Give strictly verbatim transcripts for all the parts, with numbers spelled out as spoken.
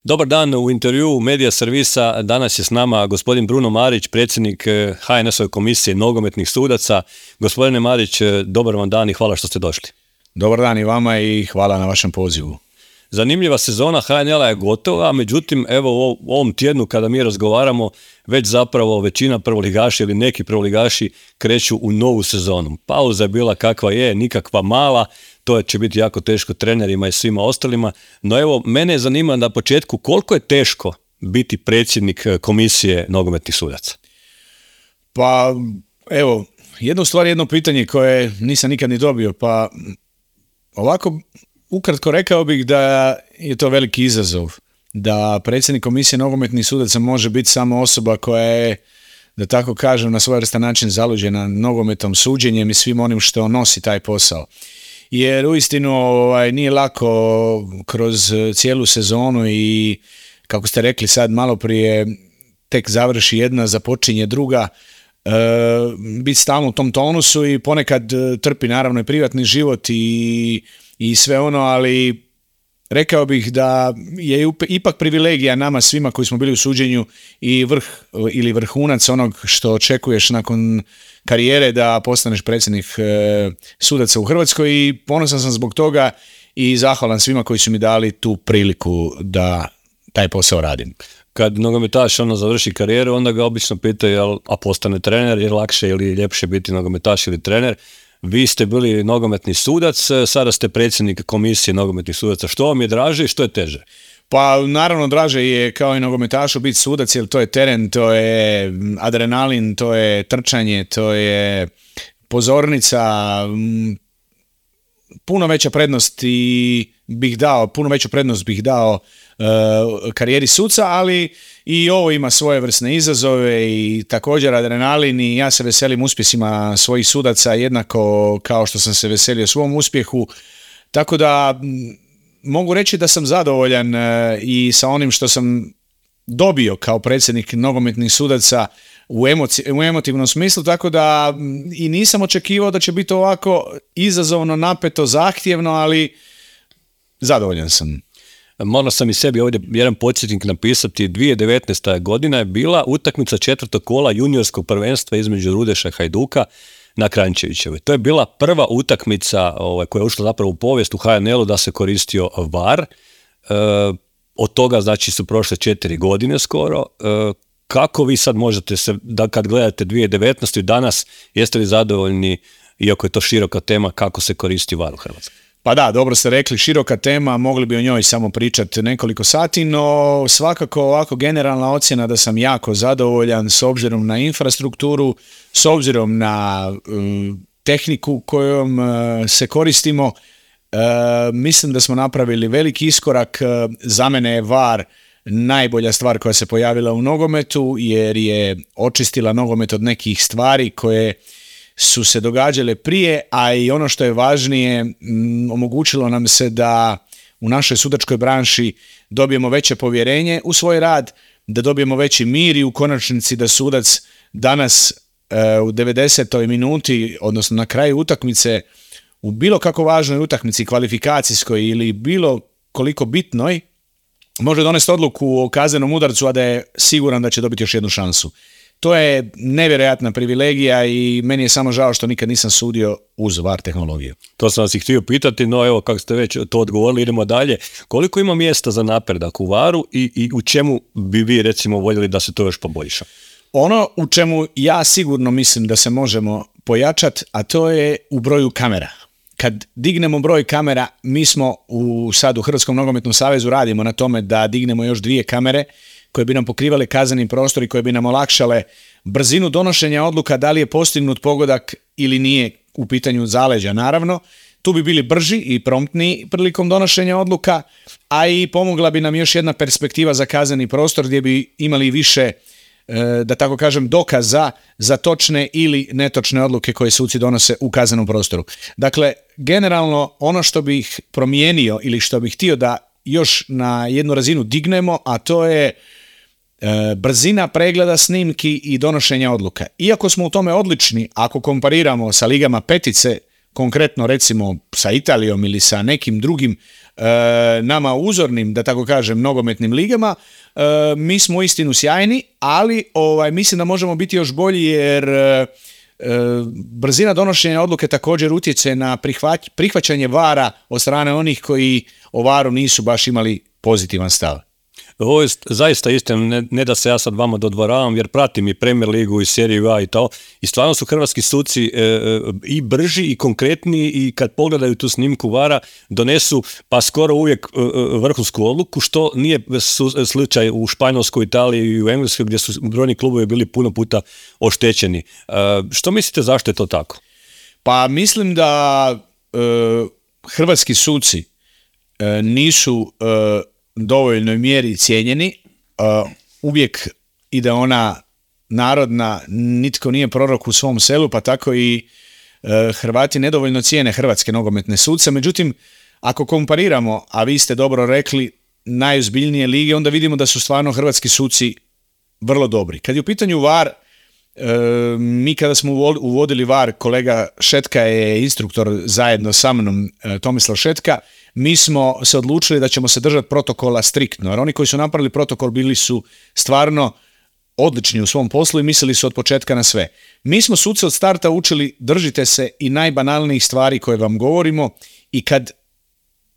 Dobar dan, u intervjuu Medija servisa danas je s nama gospodin Bruno Marić, predsjednik ha en es-ove komisije nogometnih sudaca. Gospodine Marić, dobar vam dan i hvala što ste došli. Dobar dan i vama i hvala na vašem pozivu. Zanimljiva sezona ha en el-a je gotova, međutim, evo u ovom tjednu kada mi razgovaramo, već zapravo većina prvoligaša ili neki prvoligaši kreću u novu sezonu. Pauza je bila kakva je, nikakva mala, to će biti jako teško trenerima i svima ostalima, no evo, mene zanima na početku koliko je teško biti predsjednik komisije nogometnih sudaca? Pa, evo, jedno stvar, jedno pitanje koje nisam nikad ni dobio, pa ovako ukratko rekao bih da je to veliki izazov, da predsjednik komisije nogometnih sudaca može biti samo osoba koja je, da tako kažem, na svojevrstan način zaluđena nogometom, suđenjem i svim onim što nosi taj posao. Jer uistinu ovaj, nije lako kroz cijelu sezonu i, kako ste rekli sad malo prije, tek završi jedna, započinje druga, e, biti stalno u tom tonusu i ponekad trpi naravno i privatni život i, i sve ono, ali rekao bih da je ipak privilegija nama svima koji smo bili u suđenju i vrh ili vrhunac onog što očekuješ nakon karijere da postaneš predsjednik e, sudaca u Hrvatskoj i ponosan sam zbog toga i zahvalan svima koji su mi dali tu priliku da taj posao radim. Kad nogometaš ono završi karijeru, onda ga obično pitaju jel, a postane trener, je lakše ili ljepše biti nogometaš ili trener. Vi ste bili nogometni sudac, sada ste predsjednik komisije nogometnih sudaca. Što vam je draže i što je teže? Pa naravno draže je kao i nogometašu biti sudac, jer to je teren, to je adrenalin, to je trčanje, to je pozornica, puno veća prednost i bih dao, puno veću prednost bih dao uh, karijeri suca, ali i ovo ima svojevrsne izazove i također adrenalin i ja se veselim uspjesima svojih sudaca jednako kao što sam se veselio svom uspjehu, tako da mogu reći da sam zadovoljan i sa onim što sam dobio kao predsjednik nogometnih sudaca u, emoci, u emotivnom smislu, tako da i nisam očekivao da će biti ovako izazovno, napeto, zahtjevno, ali zadovoljan sam. Morao sam i sebi ovdje jedan podsjetnik napisati. dvije tisuće devetnaesta. godina je bila utakmica četvrtog kola juniorskog prvenstva između Rudeša i Hajduka na Kranjčevićevoj. To je bila prva utakmica ovaj, koja je ušla zapravo u povijest u ha en el-u da se koristio var. E, od toga znači su prošle četiri godine skoro. E, kako vi sad možete se, da kad gledate dvije tisuće devetnaestu. danas, jeste li zadovoljni, iako je to široka tema, kako se koristi var u Hrvatskoj? Pa da, dobro ste rekli, široka tema, mogli bi o njoj samo pričati nekoliko sati, no svakako ovako generalna ocjena da sam jako zadovoljan s obzirom na infrastrukturu, s obzirom na um, tehniku kojom uh, se koristimo. Uh, mislim da smo napravili veliki iskorak. Uh, za mene je var najbolja stvar koja se pojavila u nogometu, jer je očistila nogomet od nekih stvari koje su se događale prije, a i ono što je važnije, m, omogućilo nam se da u našoj sudačkoj branši dobijemo veće povjerenje u svoj rad, da dobijemo veći mir i u konačnici da sudac danas e, u devedesetoj minuti, odnosno na kraju utakmice, u bilo kako važnoj utakmici, kvalifikacijskoj ili bilo koliko bitnoj, može donesti odluku o kaznenom udarcu, a da je siguran da će dobiti još jednu šansu. To je nevjerojatna privilegija i meni je samo žao što nikad nisam sudio uz var tehnologiju. To sam vas i htio pitati, no evo kako ste već to odgovorili, idemo dalje. Koliko ima mjesta za napredak u varu i, i u čemu bi vi recimo voljeli da se to još poboljša? Ono u čemu ja sigurno mislim da se možemo pojačati, a to je u broju kamera. Kad dignemo broj kamera, mi smo u, sad u Hrvatskom nogometnom savezu radimo na tome da dignemo još dvije kamere koje bi nam pokrivale kazneni prostor i koje bi nam olakšale brzinu donošenja odluka, da li je postignut pogodak ili nije u pitanju zaleđa, naravno. Tu bi bili brži i promptniji prilikom donošenja odluka, a i pomogla bi nam još jedna perspektiva za kazneni prostor gdje bi imali više, da tako kažem, dokaza za točne ili netočne odluke koje suci donose u kaznenom prostoru. Dakle, generalno ono što bih promijenio ili što bih htio da još na jednu razinu dignemo, a to je e, brzina pregleda snimki i donošenja odluka. Iako smo u tome odlični, ako kompariramo sa ligama petice konkretno recimo sa Italijom ili sa nekim drugim e, nama uzornim, da tako kažem, nogometnim ligama, e, mi smo uistinu sjajni, ali ovaj, mislim da možemo biti još bolji jer e, brzina donošenja odluke također utječe na prihvać, prihvaćanje vara od strane onih koji o varu nisu baš imali pozitivan stav. Ovo je zaista istina, ne, ne da se ja sad vama dodvoravam, jer pratim i Premier ligu i Seriju A i to, i stvarno su hrvatski suci e, i brži i konkretni i kad pogledaju tu snimku vara donesu pa skoro uvijek e, vrhunsku odluku, što nije su, slučaj u Španjolskoj, Italiji i u Engleskoj gdje su brojni klubovi bili puno puta oštećeni. E, što mislite zašto je to tako? Pa mislim da e, hrvatski suci e, nisu e, dovoljnoj mjeri cijenjeni, uh, uvijek ide ona narodna, nitko nije prorok u svom selu, pa tako i uh, Hrvati nedovoljno cijene hrvatske nogometne suce. Međutim, ako kompariramo, a vi ste dobro rekli, najozbiljnije lige, onda vidimo da su stvarno hrvatski suci vrlo dobri. Kad je u pitanju var, uh, mi kada smo uvodili var, kolega Šetka je instruktor zajedno sa mnom, uh, Tomislav Šetka, mi smo se odlučili da ćemo se držati protokola striktno, jer oni koji su napravili protokol bili su stvarno odlični u svom poslu i mislili su od početka na sve. Mi smo suce od starta učili držite se i najbanalnijih stvari koje vam govorimo i kad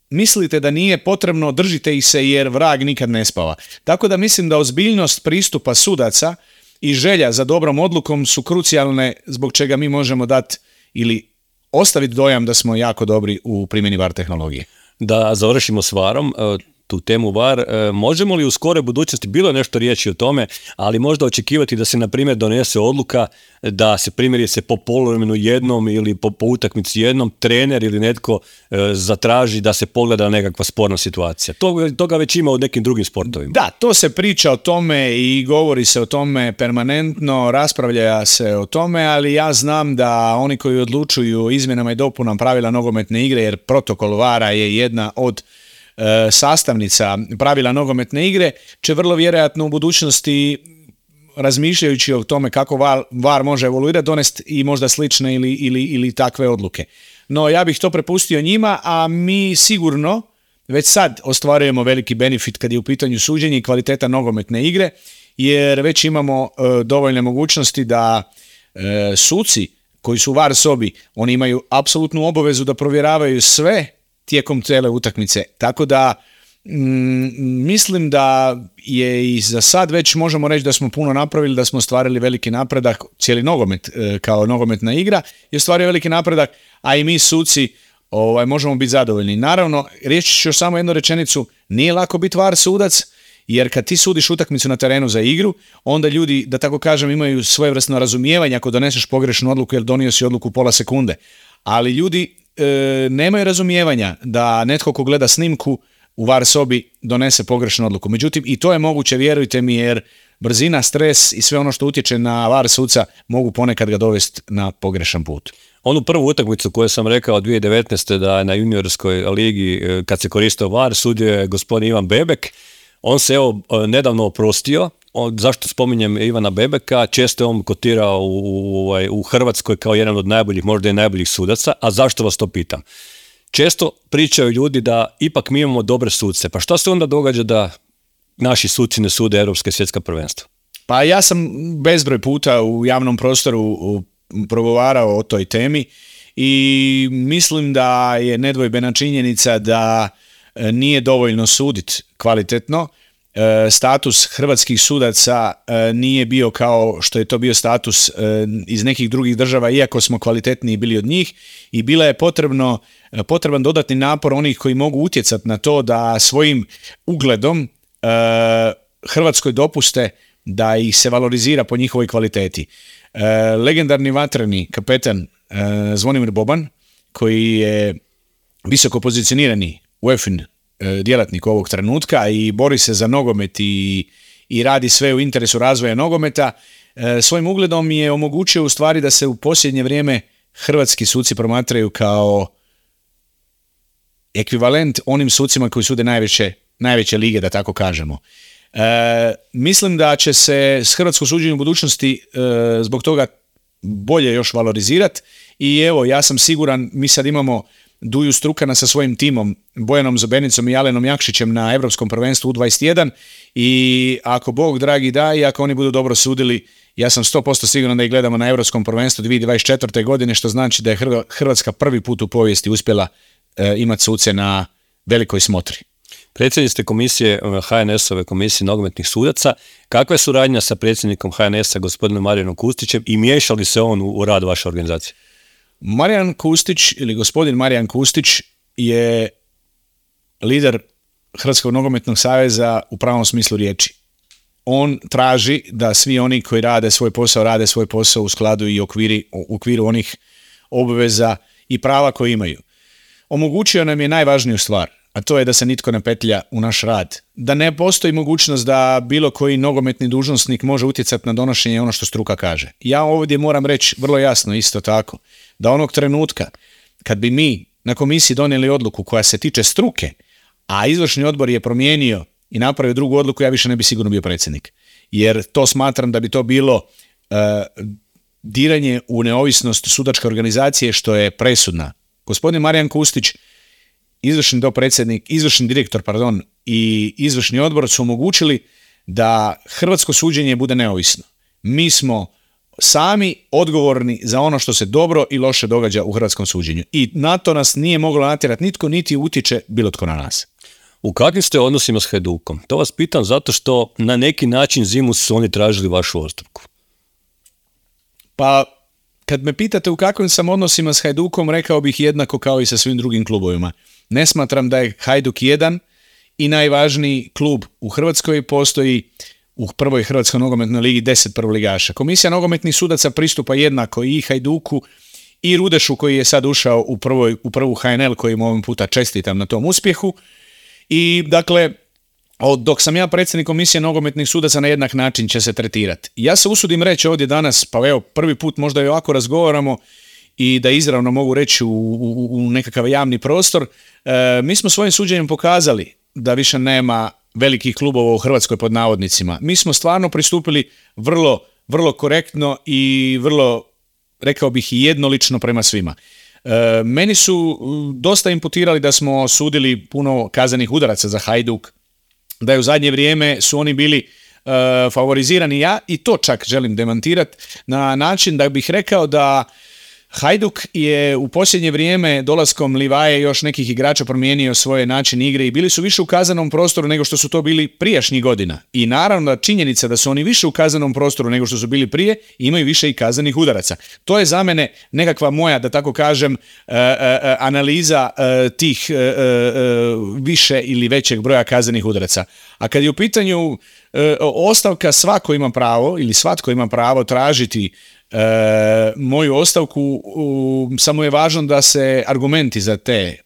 mislite da nije potrebno, držite ih se jer vrag nikad ne spava. Tako da mislim da ozbiljnost pristupa sudaca i želja za dobrom odlukom su krucijalne zbog čega mi možemo dati ili ostaviti dojam da smo jako dobri u primjeni var tehnologije. Da završimo s varom, tu temu var, možemo li u skoroj budućnosti, bilo je nešto riječi o tome, ali možda očekivati da se na primjer donese odluka da se primjerice po poluvremenu jednom ili po, po utakmici jednom trener ili netko e, zatraži da se pogleda nekakva sporna situacija. To, toga već ima u nekim drugim sportovima. Da, to se priča o tome i govori se o tome permanentno, raspravlja se o tome, ali ja znam da oni koji odlučuju izmjenama i dopunama pravila nogometne igre, jer protokol vara je jedna od sastavnica pravila nogometne igre, će vrlo vjerojatno u budućnosti, razmišljajući o tome kako var može evoluirati, donesti i možda slične ili, ili, ili takve odluke. No ja bih to prepustio njima, a mi sigurno već sad ostvarujemo veliki benefit kad je u pitanju suđenje i kvaliteta nogometne igre, jer već imamo e, dovoljne mogućnosti da e, suci koji su u var sobi, oni imaju apsolutnu obavezu da provjeravaju sve tijekom cijele utakmice. Tako da mm, mislim da je i za sad već možemo reći da smo puno napravili, da smo ostvarili veliki napredak, cijeli nogomet e, kao nogometna igra je ostvario veliki napredak, a i mi suci ovaj, možemo biti zadovoljni. Naravno, reći ću još samo jednu rečenicu, nije lako biti var sudac, jer kad ti sudiš utakmicu na terenu za igru, onda ljudi, da tako kažem, imaju svojevrsno razumijevanje ako doneseš pogrešnu odluku jer donio si odluku pola sekunde. Ali ljudi e, nemaju razumijevanja da netko ko gleda snimku u var sobi donese pogrešnu odluku. Međutim, i to je moguće, vjerujte mi, jer brzina, stres i sve ono što utječe na var suca mogu ponekad ga dovesti na pogrešan put. Onu prvu utakmicu koju sam rekao dvije tisuće devetnaeste da je na juniorskoj ligi kad se koristio var, sudio je gospodin Ivan Bebek. On se evo nedavno oprostio. On, zašto spominjem Ivana Bebeka? Često je on kotirao u, u, u Hrvatskoj kao jedan od najboljih, možda i najboljih sudaca. A zašto vas to pitam? Često pričaju ljudi da ipak mi imamo dobre suce. Pa šta se onda događa da naši suci ne sude europske svjetska prvenstva? Pa ja sam bezbroj puta u javnom prostoru progovarao o toj temi i mislim da je nedvojbena činjenica da nije dovoljno suditi kvalitetno. Status hrvatskih sudaca nije bio kao što je to bio status iz nekih drugih država, iako smo kvalitetniji bili od njih, i bila je potrebno, potreban dodatni napor onih koji mogu utjecati na to da svojim ugledom Hrvatskoj dopuste da ih se valorizira po njihovoj kvaliteti. Legendarni vatreni kapetan Zvonimir Boban, koji je visoko pozicionirani u E F I N djelatnik ovog trenutka i bori se za nogomet i, i radi sve u interesu razvoja nogometa, svojim ugledom je omogućio u stvari da se u posljednje vrijeme hrvatski suci promatraju kao ekvivalent onim sucima koji sude najveće, najveće lige, da tako kažemo. E, mislim da će se s hrvatsko suđenje u budućnosti e, zbog toga bolje još valorizirati i evo, ja sam siguran, mi sad imamo Duju Strukana sa svojim timom, Bojanom Zobernicom i Alenom Jakšićem na Europskom prvenstvu U dvadeset jedan i ako Bog dragi da i ako oni budu dobro sudili, ja sam sto posto siguran da ih gledamo na Europskom prvenstvu dvije tisuće dvadeset četvrte. godine, što znači da je Hrvatska prvi put u povijesti uspjela e, imati suce na velikoj smotri. Predsjednik ste komisije H N S-ove komisije nogometnih sudaca. Kakva je suradnja sa predsjednikom H N S-a gospodinom Marijanom Kustićem i miješa li se on u, u rad vaše organizacije? Marijan Kustić ili gospodin Marijan Kustić je lider Hrvatskog nogometnog saveza u pravom smislu riječi. On traži da svi oni koji rade svoj posao, rade svoj posao u skladu i okviri, u okviru onih obveza i prava koje imaju. Omogućio nam je najvažniju stvar, a to je da se nitko ne petlja u naš rad. Da ne postoji mogućnost da bilo koji nogometni dužnosnik može utjecati na donošenje ono što struka kaže. Ja ovdje moram reći vrlo jasno isto tako, da onog trenutka kad bi mi na komisiji donijeli odluku koja se tiče struke, a izvršni odbor je promijenio i napravio drugu odluku, ja više ne bi sigurno bio predsjednik. Jer to smatram da bi to bilo uh, diranje u neovisnost sudačke organizacije, što je presudna. Gospodin Marijan Kustić, izvršni dopredsjednik, izvršni direktor, pardon, i izvršni odbor su omogućili da hrvatsko suđenje bude neovisno. Mi smo sami odgovorni za ono što se dobro i loše događa u hrvatskom suđenju. I na to nas nije moglo natjerati nitko, niti utječe bilo tko na nas. U kakvim ste odnosima s Hajdukom? To vas pitam zato što na neki način zimu su oni tražili vašu ostavku. Pa, kad me pitate u kakvim sam odnosima s Hajdukom, rekao bih jednako kao i sa svim drugim klubovima. Ne smatram da je Hajduk jedan i najvažniji klub u Hrvatskoj, postoji u prvoj Hrvatskoj nogometnoj ligi deset prvoligaša. Komisija nogometnih sudaca pristupa jednako i Hajduku i Rudešu koji je sad ušao u, prvoj, u prvu H N L, kojim ovim puta čestitam na tom uspjehu. I dakle, dok sam ja predsjednik komisije nogometnih sudaca, na jednak način će se tretirati. Ja se usudim reći ovdje danas, pa evo prvi put možda i ovako razgovaramo i da izravno mogu reći u, u, u nekakav javni prostor, e, mi smo svojim suđenjem pokazali da više nema velikih klubova u Hrvatskoj pod navodnicima. Mi smo stvarno pristupili vrlo, vrlo korektno i vrlo, rekao bih, i jednolično prema svima. E, meni su dosta imputirali da smo sudili puno kaznenih udaraca za Hajduk, da je u zadnje vrijeme su oni bili e, favorizirani, ja i to čak želim demantirati na način da bih rekao da Hajduk je u posljednje vrijeme dolaskom Livaje i još nekih igrača promijenio svoje način igre i bili su više u kazanom prostoru nego što su to bili prijašnjih godina. I naravno da činjenica da su oni više u kazanom prostoru nego što su bili prije, imaju više i kazanih udaraca. To je za mene nekakva moja, da tako kažem, uh, uh, analiza uh, tih uh, uh, više ili većeg broja kazanih udaraca. A kad je u pitanju uh, ostavka, svako ima pravo ili svatko ima pravo tražiti E, moju ostavku, u, samo je važno da se argumenti za te e,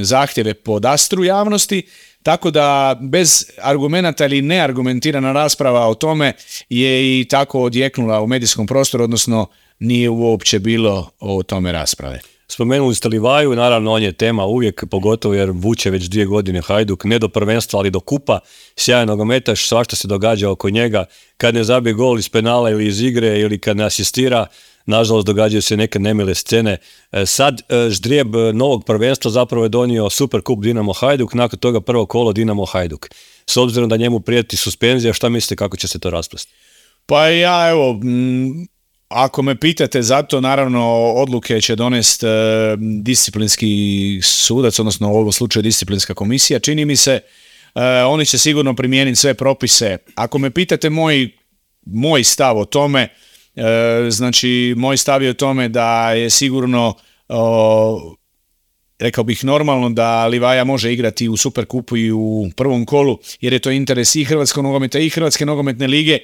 zahtjeve podastru javnosti, tako da bez argumenata ili neargumentirana rasprava o tome je i tako odjeknula u medijskom prostoru, odnosno nije uopće bilo o tome rasprave. Spomenuli ste Livaju, naravno on je tema uvijek, pogotovo jer vuče već dvije godine Hajduk, ne do prvenstva, ali do kupa, sjajan nogometaš, svašta se događa oko njega, kad ne zabije gol iz penala ili iz igre ili kad ne asistira, nažalost događaju se neke nemile scene. Sad ždrijeb novog prvenstva zapravo je donio Super kup Dinamo Hajduk, nakon toga prvo kolo Dinamo Hajduk. S obzirom da njemu prijeti suspenzija, šta mislite kako će se to rasplesti? Pa ja evo... Mm... Ako me pitate za to, naravno odluke će donesti e, disciplinski sudac, odnosno u ovom slučaju disciplinska komisija. Čini mi se, e, oni će sigurno primijeniti sve propise. Ako me pitate moj, moj stav o tome, e, znači moj stav je o tome da je sigurno, o, rekao bih normalno da Livaja može igrati u Superkupu i u prvom kolu, jer je to interes i Hrvatskog nogometa i Hrvatske nogometne lige.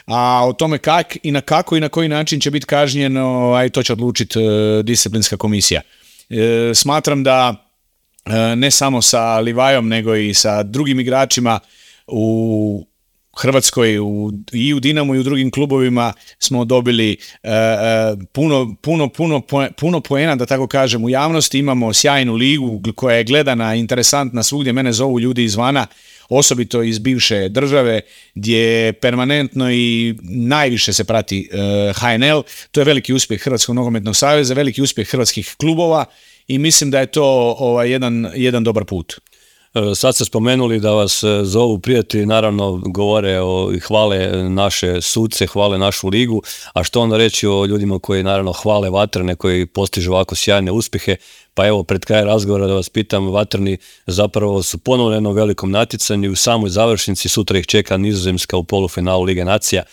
A o tome kak i na kako i na koji način će biti kažnjen, aj to će odlučiti e, disciplinska komisija. E, smatram da e, ne samo sa Livajom nego i sa drugim igračima u Hrvatskoj u, i u Dinamu i u drugim klubovima smo dobili e, e, puno, puno, puno, puno poena, da tako kažem, u javnosti. Imamo sjajnu ligu koja je gledana, interesantna svugdje. Mene zovu ljudi izvana, osobito iz bivše države, gdje permanentno i najviše se prati e, H N L. To je veliki uspjeh Hrvatskog nogometnog saveza, veliki uspjeh hrvatskih klubova i mislim da je to ovaj, jedan, jedan dobar put. Sad ste spomenuli da vas zovu prijatelji, naravno govore o, i hvale naše suce, hvale našu ligu, a što onda reći o ljudima koji naravno hvale Vatrene, koji postižu ovako sjajne uspjehe. Pa evo, pred kraj razgovora da vas pitam, Vatreni zapravo su ponovno jednom velikom natjecanju, u samoj završnici, sutra ih čeka Nizozemska u polufinalu Lige nacija.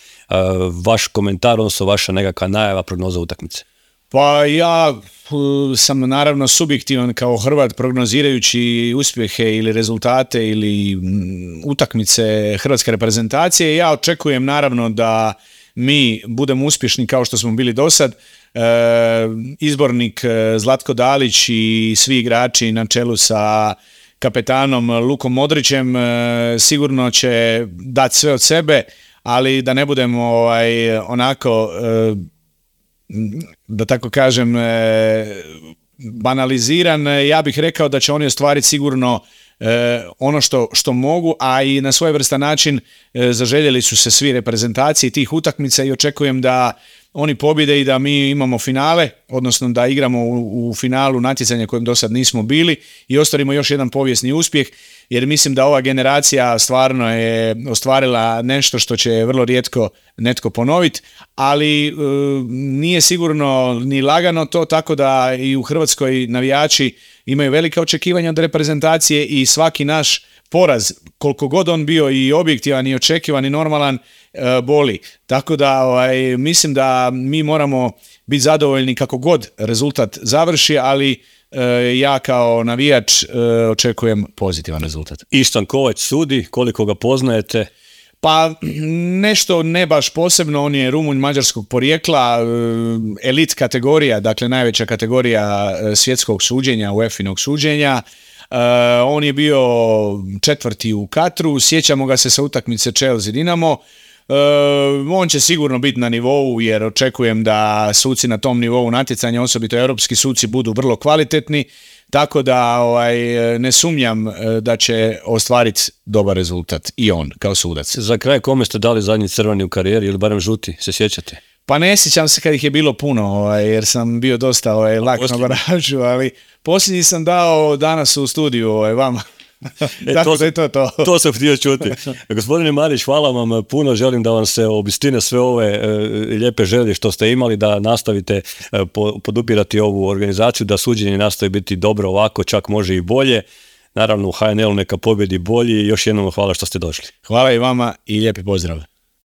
Vaš komentar, odnosno vaša nekakva najava, prognoza utakmice? Pa ja sam naravno subjektivan kao Hrvat prognozirajući uspjehe ili rezultate ili utakmice hrvatske reprezentacije. Ja očekujem naravno da mi budemo uspješni kao što smo bili do sad. E, izbornik Zlatko Dalić i svi igrači na čelu sa kapetanom Lukom Modrićem e, sigurno će dati sve od sebe, ali da ne budemo ovaj, onako... E, da tako kažem, banaliziran, ja bih rekao da će oni ostvariti sigurno ono što, što mogu, a i na svojevrstan način zaželjeli su se svi reprezentaciji tih utakmica i očekujem da oni pobjede i da mi imamo finale, odnosno da igramo u, u finalu natjecanja kojem do sad nismo bili i ostvarimo još jedan povijesni uspjeh, jer mislim da ova generacija stvarno je ostvarila nešto što će vrlo rijetko netko ponoviti, ali e, nije sigurno ni lagano to, tako da i u Hrvatskoj navijači imaju velika očekivanja od reprezentacije i svaki naš poraz, koliko god on bio i objektivan i očekivan i normalan, e, boli. Tako da ovaj, mislim da mi moramo biti zadovoljni kako god rezultat završi, ali e, ja kao navijač e, očekujem pozitivan rezultat. Ištan Kovač sudi, koliko ga poznajete? Pa nešto ne baš posebno, on je Rumunj mađarskog porijekla, elit kategorija, dakle najveća kategorija svjetskog suđenja, U E F I-nog suđenja. Uh, on je bio četvrti u Katru, sjećamo ga se sa utakmice Chelsea Dinamo. Uh, on će sigurno biti na nivou, jer očekujem da suci na tom nivou natjecanja, osobito europski suci, budu vrlo kvalitetni, tako da ovaj, ne sumnjam da će ostvariti dobar rezultat i on kao sudac. Za kraj, kome ste dali zadnji crveni u karijeri ili barem žuti, se sjećate? Pa ne sjećam se kad ih je bilo puno, ovaj, jer sam bio dosta ovaj, lak na baražu, ali posljednji sam dao danas u studiju ovaj, vama. E, to, je to, to. to sam htio čuti. Gospodine Marić, hvala vam puno, želim da vam se obistine sve ove e, lijepe želje što ste imali, da nastavite e, po, podupirati ovu organizaciju, da suđenje nastavi biti dobro ovako, čak može i bolje. Naravno u H N L-u neka pobjedi bolji i još jednom hvala što ste došli. Hvala i vama i lijepi pozdrav.